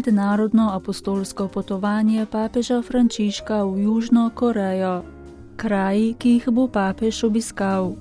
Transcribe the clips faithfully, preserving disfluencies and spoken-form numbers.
mednarodno apostolsko potovanje papeža Frančiška v Južno Korejo. Kraji, ki jih bo papež obiskal.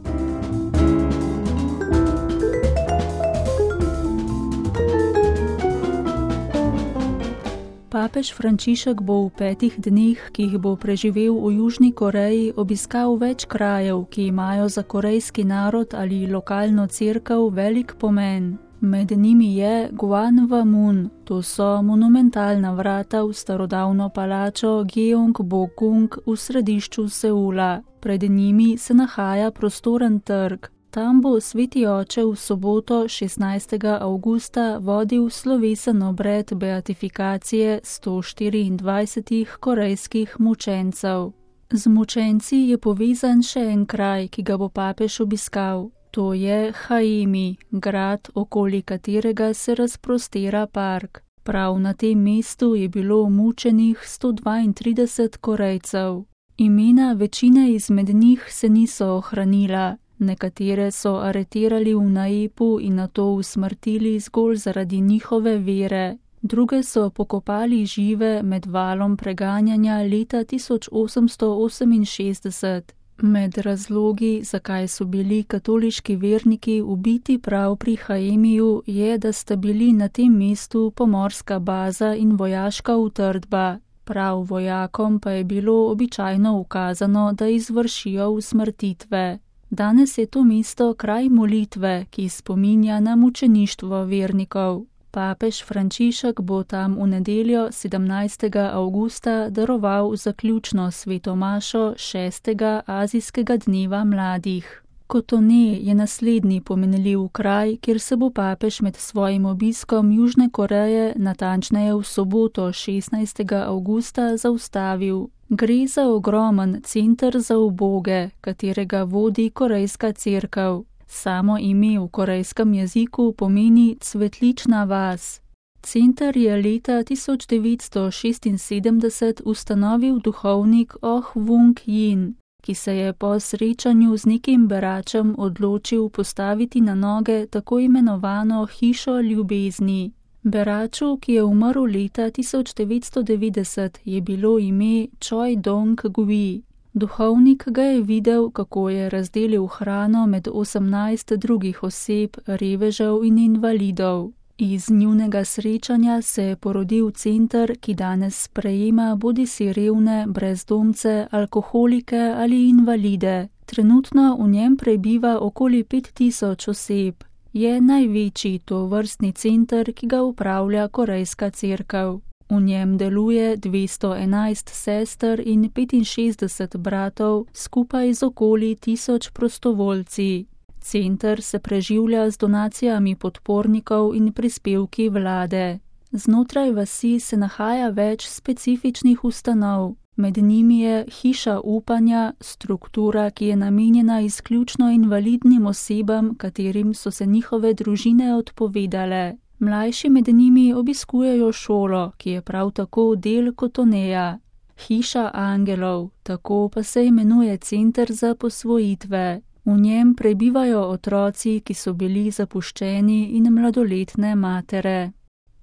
Papež Frančišek bo v petih dneh, ki jih bo preživel v Južni Koreji, obiskal več krajev, ki imajo za korejski narod ali lokalno cerkev velik pomen. Med njimi je Gwanghwamun, to so monumentalna vrata v starodavno palačo Gyeongbokgung v središču Seula. Pred njimi se nahaja prostoren trg. Tam bo sveti oče v soboto šestnajstega avgusta vodil slovesen obred beatifikacije sto štiriindvajsetih korejskih mučencev. Z mučenci je povezan še en kraj, ki ga bo papež obiskal. To je Haemi, grad, okoli katerega se razprostira park. Prav na tem mestu je bilo mučenih sto dvaintrideset Korejcev. Imena večine izmed njih se niso ohranila. Nekatere so aretirali v Naepu in nato usmrtili zgolj zaradi njihove vere. Druge so pokopali žive med valom preganjanja leta tisoč osemsto oseminšestdeset. Med razlogi, zakaj so bili katoliški verniki ubiti prav pri Haemiju, je, da sta bili na tem mestu pomorska baza in vojaška utrdba. Prav vojakom pa je bilo običajno ukazano, da izvršijo usmrtitve. Danes je to mesto kraj molitve, ki spominja na mučeništvo vernikov. Papež Frančišek bo tam v nedeljo sedemnajstega avgusta daroval zaključno sveto mašo šestega azijskega dneva mladih. Kotone je naslednji pomenljiv kraj, kjer se bo papež med svojim obiskom Južne Koreje, natančneje v soboto šestnajstega avgusta, zaustavil. Gre za ogromen center za uboge, katerega vodi korejska cerkev. Samo ime v korejskem jeziku pomeni cvetlična vas. Center je leta tisoč devetsto šestinsedemdeset ustanovil duhovnik Oh Wung-jin, ki se je po srečanju z nekim beračem odločil postaviti na noge tako imenovano hišo ljubezni. Beraču, ki je umrl leta tisoč devetsto devetdeset, je bilo ime Choi Dong-gui. Duhovnik ga je videl, kako je razdelil hrano med osemnajst drugih oseb, revežev in invalidov. Iz njunega srečanja se je porodil center, ki danes sprejema bodisi revne, brezdomce, alkoholike ali invalide. Trenutno v njem prebiva okoli pet tisoč oseb. Je največji tovrstni center, ki ga upravlja korejska cerkev. V njem deluje dvesto enajst sester in petinšestdeset bratov, skupaj z okoli tisoč prostovoljci. Center se preživlja z donacijami podpornikov in prispevki vlade. Znotraj vasi se nahaja več specifičnih ustanov. Med njimi je hiša upanja, struktura, ki je namenjena izključno invalidnim osebam, katerim so se njihove družine odpovedale. Mlajši med njimi obiskujejo šolo, ki je prav tako del Kotoneja. Hiša angelov, tako pa se imenuje center za posvojitve. V njem prebivajo otroci, ki so bili zapuščeni, in mladoletne matere.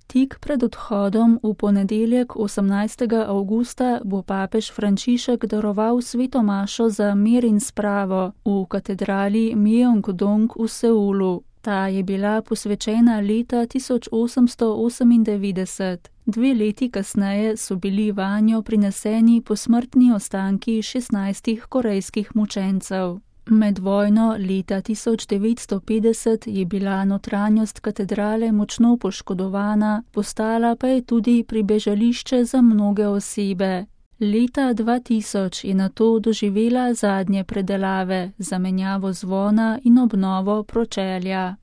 Tik pred odhodom v ponedeljek osemnajstega avgusta bo papež Frančišek daroval sveto mašo za mir in spravo v katedrali Myeongdong v Seulu. Ta je bila posvečena leta tisoč osemsto osemindevetdeset. Dve leti kasneje so bili vanjo prineseni posmrtni ostanki šestnajstih korejskih mučencev. Med vojno leta tisoč devetsto petdeset je bila notranjost katedrale močno poškodovana, postala pa je tudi pribežališče za mnoge osebe. Leta dva tisoč je nato doživela zadnje predelave, zamenjavo zvona in obnovo pročelja.